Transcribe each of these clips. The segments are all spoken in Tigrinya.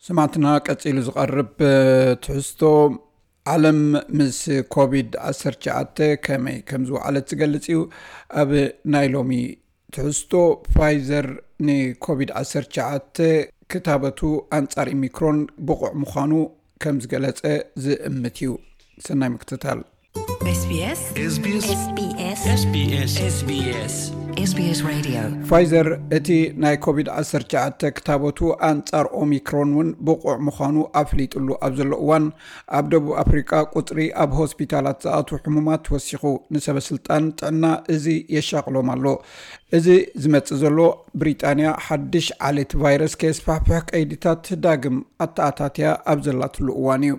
ሰማዕትና፣ ቀጺሉ ዝቐርብ ትሕዝቶ፣ ዓለም ምስ ኮቪድ ዓሰርተ ትሽዓተ ከመይ ከም ዝወዓለት ዝገልጽ እዩ። ኣብ ናይ ሎሚ ትሕዝቶ፣ ፋይዘር ንኮቪድ ዓሰርተ ትሽዓተ ክታበቱ ኣንጻር ኦሚክሮን ብቑዕ ምዃኑ ከም ዝገለጸ ዝእምት እዩ። ሰናይ ምክትታል። SBS SBS SBS SBS SBS Radio. ፋይዘር እቲ ናይ ኮቪድ ዓሰርተ ትሽዓተ ክታበቱ ኣንጻር ኦሚክሮን እውን ብቑዕ ምዃኑ ኣፍሊጥሉ ኣብ ዘሎ እዋን፣ ኣብ ደቡብ ኣፍሪቃ ቁጽሪ ኣብ ሆስፒታላት ዝኣትዉ ሕሙማት ወሲኹ። ንሰበ ስልጣን ጥዕና እዚ የሻቕሎም ኣሎ። እዚ ዝመጽእ ዘሎ፣ ብሪጣንያ ሓድሽ ዓሌት ቫይረስ ከየስፋሕፍሕ ቀይዲታት ዳግም ኣተኣታትያ ኣብ ዘላትሉ እዋን እዩ።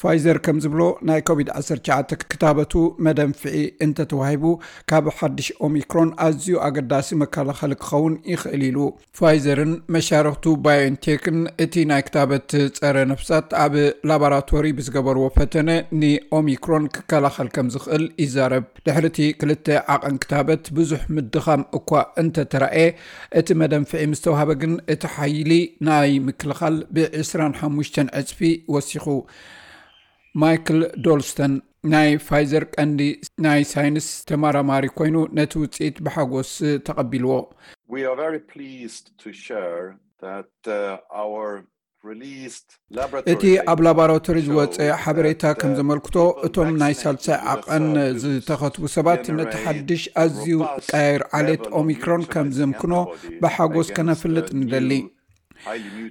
ፋይዘር ከም ዝብሎ፣ ናይ ኮቪድ ዓሰርተ ትሽዓተ ክታበቱ መደንፍዒ እንተተዋሂቡ፣ ካብ ሓድሽ ኦሚክሮን ኣዝዩ ኣገዳሲ መከላኸሊ ክኸውን ይኽእል ኢሉ። ፋይዘርን መሻርኽቱ ባዮንቴክን እቲ ናይ ክታበት ጸረ ነፍሳት ኣብ ላቦራቶሪ ብዝገበርዎ ፈተነ ንኦሚክሮን ክከላኸል ከም ዝኽእል ይዛረብ። ድሕሪ እቲ ክልተ ዓቐን ክታበት ብዙሕ ምድኻም እኳ እንተተራእየ፣ እቲ መደንፍዒ ምስ ተዋህበ ግን እቲ ሓይሊ ናይ ምክልኻል ብ ዕስራን ሓሙሽተን ዕጽፊ ወሲኹ። ማይክል ዶልስተን ናይ ፋይዘር ቀንዲ ናይ ሳይንስ ተመራማሪ ኮይኑ፣ ነቲ ውጽኢት ብሓጎስ ተቐቢልዎ። We are very pleased to share that uh, our released laboratory እቲ ኣብ ላቦራቶሪ ዝወጸ ሓበሬታ ከም ዘመልክቶ፣ እቶም ናይ ሳልሳይ ዓቐን ዝተኸትቡ ሰባት ነቲ ሓድሽ ኣዝዩ ቀያይር ዓሌት ኦሚክሮን ከም ዘምክኖ ብሓጎስ ከነፍልጥ ንደሊ።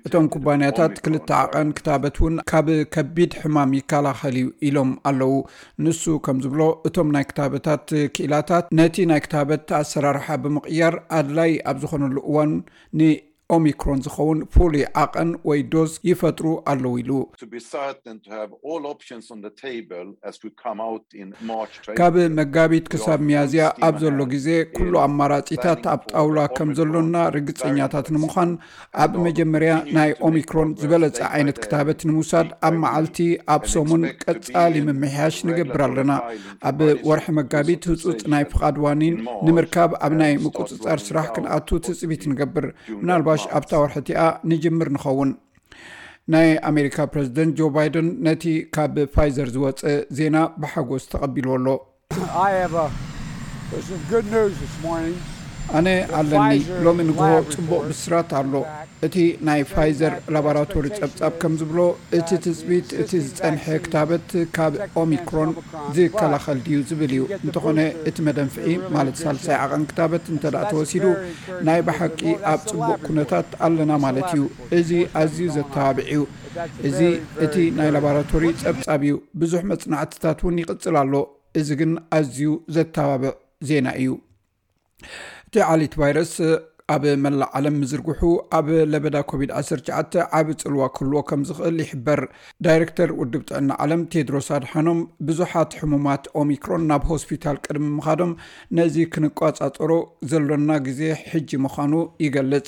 እቶም ኩባንያታት ክልተ ዓቐን ክታበት እውን ካብ ከቢድ ሕማም ይከላኸል እዩ ኢሎም ኣለዉ። ንሱ ከም ዝብሎ፣ እቶም ናይ ክታበታት ክኢላታት ነቲ ናይ ክታበት ኣሰራርሓ ብምቕያር ኣድላይ ኣብ ዝኾነሉ እዋን ንኦሚክሮን ዝኸውን ፍሉይ ዓቐን ወይ ዶዝ ይፈጥሩ ኣለዉ ኢሉ። to be certain to have all options on the table as we come out in March. ካብ መጋቢት ክሳብ ሚያዝያ ኣብ ዘሎ ግዜ ኩሉ ኣማራጺታት ኣብ ጣውላ ከም ዘሎና ርግጸኛታት ንምዃን፣ ኣብ መጀመርያ ናይ ኦሚክሮን ዝበለጸ ዓይነት ክታበት ንምውሳድ ኣብ መዓልቲ፣ ኣብ ሰሙን ቀጻሊ ምምሕያሽ ንገብር ኣለና። ኣብ ወርሒ መጋቢት ህጹጽ ናይ ፍቓድ ዋኒን ንምርካብ ኣብ ናይ ምቁጽጻር ስራሕ ክንኣቱ ትጽቢት ንገብር። ምናልባሽ ኣብታ ወርሒ እቲኣ ንጅምር ንኸውን። ናይ ኣሜሪካ ፕረዚደንት ጆ ባይደን ነቲ ካብ ፋይዘር ዝወጸ ዜና ብሓጎስ ተቐቢልዎ ኣሎ። I have a, there's some good news this morning. ኣነ ኣለኒ፣ ሎሚ ንግሆ ጽቡቕ ብስራት ኣሎ። እቲ ናይ ፋይዘር ላቦራቶሪ ጸብጻብ ከም ዝብሎ፣ እቲ ትጽቢት እቲ ዝጸንሐ ክታበት ካብ ኦሚክሮን ዝከላኸል ድዩ ዝብል እዩ። እንተኾነ፣ እቲ መደንፍዒ፣ ማለት ሳልሳይ ዓቐን ክታበት እንተ ደኣ ተወሲዱ፣ ናይ ብሓቂ ኣብ ጽቡቕ ኩነታት ኣለና ማለት እዩ። እዚ ኣዝዩ ዘተባብዕ እዩ። እዚ እቲ ናይ ላቦራቶሪ ጸብጻብ እዩ። ብዙሕ መጽናዕትታት እውን ይቕጽል ኣሎ። እዚ ግን ኣዝዩ ዘተባብዕ ዜና እዩ። እቲ ዓሌት ቫይረስ ኣብ መላእ ዓለም ምዝርግሑ፣ ኣብ ለበዳ ኮቪድ ዓሰርተ ትሽዓተ ዓቢ ጽልዋ ክህልዎ ከም ዝኽእል ይሕበር። ዳይሬክተር ውድብ ጥዕና ዓለም ቴድሮስ ኣድሓኖም፣ ብዙሓት ሕሙማት ኦሚክሮን ናብ ሆስፒታል ቅድሚ ምኻዶም፣ ነዚ ክንቋጻጸሮ ዘሎና ግዜ ሕጂ ምዃኑ ይገልጽ።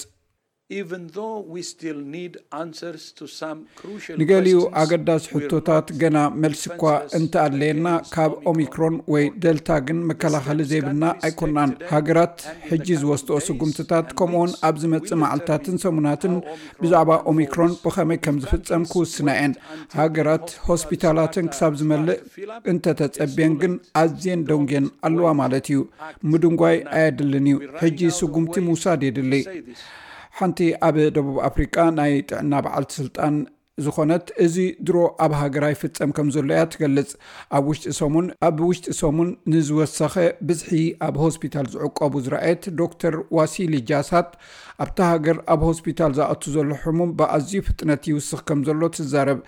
Even though we still need answers to some crucial ንገሊኡ questions, ኣገዳሲ we're ሕቶታት not ገና መልሲ እኳ defenseless እንተኣድለየና፣ against ካብ Omicron. ኦሚክሮን ወይ ደልታ ግን መከላኸሊ ዘይብልና ኣይኮናን። ሃገራት ሕጂ ዝወስድኦ ስጉምትታት፣ ከምኡውን ኣብ ዝመጽእ መዓልታትን ሰሙናትን ብዛዕባ ኦሚክሮን ብኸመይ ከም ዝፍጸም ክውስና እየን። ሃገራት ሆስፒታላትን ክሳብ ዝመልእ እንተተጸብየን ግን ኣዝየን ደንጉየን ኣለዋ ማለት እዩ። ምድንጓይ ኣየድልን እዩ። ሕጂ ስጉምቲ ምውሳድ የድሊ። ሓንቲ ኣብ ደቡብ ኣፍሪቃ ናይ ጥዕና በዓልቲ ስልጣን ዝኾነት፣ እዚ ድሮ ኣብ ሃገራ ይፍጸም ከም ዘሎ እያ ትገልጽ። ኣብ ውሽጢ ሰሙን፣ ኣብ ውሽጢ ሰሙን ንዝወሰኸ ብዝሒ ኣብ ሆስፒታል ዝዕቆቡ ዝረኣየት ዶክተር ዋሲሊ ጃሳት፣ ኣብታ ሃገር ኣብ ሆስፒታል ዝኣቱ ዘሎ ሕሙም ብኣዝዩ ፍጥነት ይውስኽ ከም ዘሎ ትዛረብ።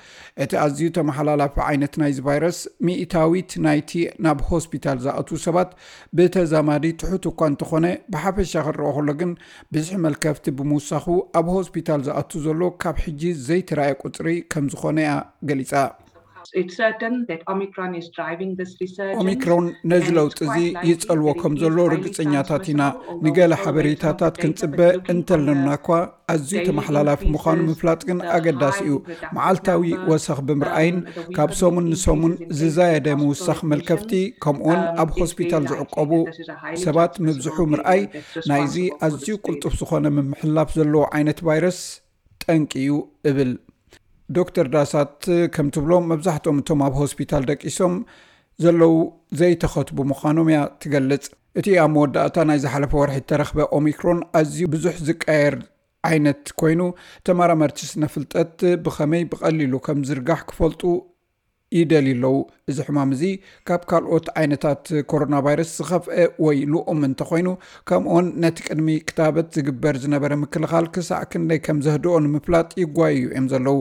እቲ ኣዝዩ ተመሓላላፊ ዓይነት ናይዚ ቫይረስ፣ ሚእታዊት ናይቲ ናብ ሆስፒታል ዝኣቱ ሰባት ብተዛማዲ ትሑት እኳ እንተኾነ፣ ብሓፈሻ ክረኦ ከሎ ግን ብዝሒ መልከፍቲ ብምውሳኹ፣ ኣብ ሆስፒታል ዝኣቱ ዘሎ ካብ ሕጂ ዘይተራእየ ቁጽሪ ከም ዝኾነ እያ ገሊጻ። It's certain that Omicron is driving this resurgence. ኦሚክሮን ነዚ ለውጢ እዚ ይጸልዎ ከም ዘሎ ርግጸኛታት ኢና። ንገለ ሓበሬታታት ክንጽበ እንተለና እኳ፣ ኣዝዩ ተመሓላላፊ ምዃኑ ምፍላጥ ግን ኣገዳሲ እዩ። መዓልታዊ ወሰኽ ብምርኣይን ካብ ሰሙን ንሰሙን ዝዛየደ ምውሳኽ መልከፍቲ፣ ከምኡውን ኣብ ሆስፒታል ዝዕቆቡ ሰባት ምብዝሑ ምርኣይ፣ ናይዚ ኣዝዩ ቅልጡፍ ዝኾነ ምምሕልላፍ ዘለዎ ዓይነት ቫይረስ ጠንቂ እዩ እብል። ዶክተር ዳሳት ከም ትብሎ፣ መብዛሕትኦም እቶም ኣብ ሆስፒታል ደቂሶም ዘለዉ ዘይተኸትቡ ምዃኖም እያ ትገልጽ። እቲ ኣብ መወዳእታ ናይ ዝሓለፈ ወርሒ እተረኽበ ኦሚክሮን ኣዝዩ ብዙሕ ዝቀየር ዓይነት ኮይኑ፣ ተመራመርቲ ስነ ፍልጠት ብኸመይ ብቐሊሉ ከም ዝርጋሕ ክፈልጡ ይደልዩ ኣለዉ። እዚ ሕማም እዚ ካብ ካልኦት ዓይነታት ኮሮና ቫይረስ ዝኸፍአ ወይ ልኡም እንተኾይኑ፣ ከምኡውን ነቲ ቅድሚ ክታበት ዝግበር ዝነበረ ምክልኻል ክሳዕ ክንደይ ከም ዘህድኦ ንምፍላጥ ይጓዩ እዮም ዘለዉ።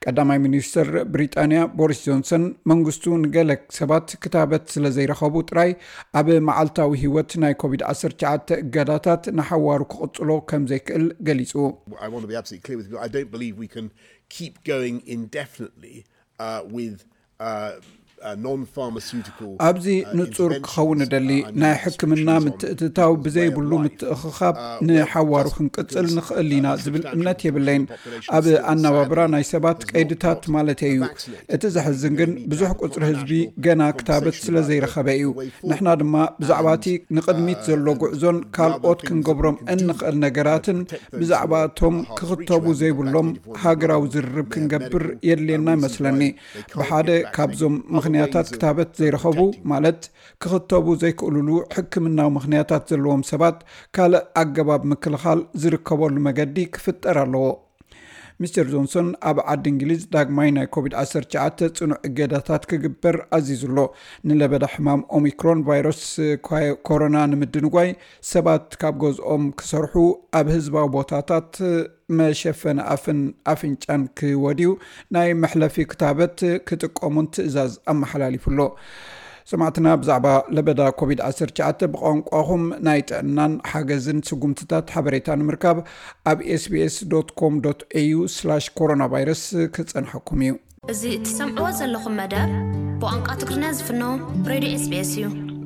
ቀዳማይ ሚኒስትር ብሪጣንያ ቦሪስ ጆንሰን፣ መንግስቱ ንገለ ሰባት ክታበት ስለ ዘይረኸቡ ጥራይ ኣብ መዓልታዊ ህይወት ናይ ኮቪድ ዓሰርተ ትሽዓተ እገዳታት ንሓዋሩ ክቕጽሎ ከም ዘይክእል ገሊጹ። I want to be absolutely clear with you. I don't believe we can keep going indefinitely uh, with uh, uh, non-pharmaceutical. ኣብዚ ንጹር ክኸውን እደሊ፣ ናይ ሕክምና ምትእትታው ብዘይብሉ ምትእኽኻብ ንሓዋሩ ክንቅጽል ንኽእል ኢና ዝብል እምነት የብለይን። ኣብ ኣነባብራ ናይ ሰባት ቀይድታት ማለተይ እዩ። እቲ ዘሕዝን ግን፣ ብዙሕ ቁጽሪ ህዝቢ ገና ክታበት ስለ ዘይረኸበ እዩ። ንሕና ድማ ብዛዕባ እቲ ንቕድሚት ዘሎ ጉዕዞን ካልኦት ክንገብሮም እንኽእል ነገራትን ብዛዕባ እቶም ክኽተቡ ዘይብሎም ሃገራዊ ዝርርብ ክንገብር የድልየና ይመስለኒ። ብሓደ ካብዞም ምኽንያታት፣ ክታበት ዘይረኸቡ፣ ማለት ክኽተቡ ዘይክእሉሉ ሕክምናዊ ምኽንያታት ዘለዎም ሰባት፣ ካልእ ኣገባብ ምክልኻል ዝርከበሉ መገዲ ክፍጠር ኣለዎ። ሚስተር ጆንሶን ኣብ ዓዲ እንግሊዝ ዳግማይ ናይ ኮቪድ ዓሰርተ ትሽዓተ ጽኑዕ እገዳታት ክግበር ኣዚዙ ኣሎ። ንለበዳ ሕማም ኦሚክሮን ቫይረስ ኮሮና ንምድንጓይ፣ ሰባት ካብ ገዝኦም ክሰርሑ፣ ኣብ ህዝባዊ ቦታታት መሸፈኒ ኣፍን ኣፍንጫን ክወድዩ፣ ናይ መሕለፊ ክታበት ክጥቀሙን ትእዛዝ ኣመሓላሊፉ ኣሎ። ሰማዕትና፣ ብዛዕባ ለበዳ ኮቪድ ዓሰርተ ትሽዓተ ብቋንቋኹም ናይ ጥዕናን ሓገዝን ስጉምትታት ሓበሬታ ንምርካብ ኣብ ኤስቢኤስ ዶት ኮም ዶት ኤዩ ስላሽ ኮሮና ቫይረስ ክጸንሐኩም እዩ። እዚ እትሰምዕዎ ዘለኹም መደብ ብቋንቋ ትግርኛ ዝፍኖ ሬድዮ ኤስቢኤስ እዩ።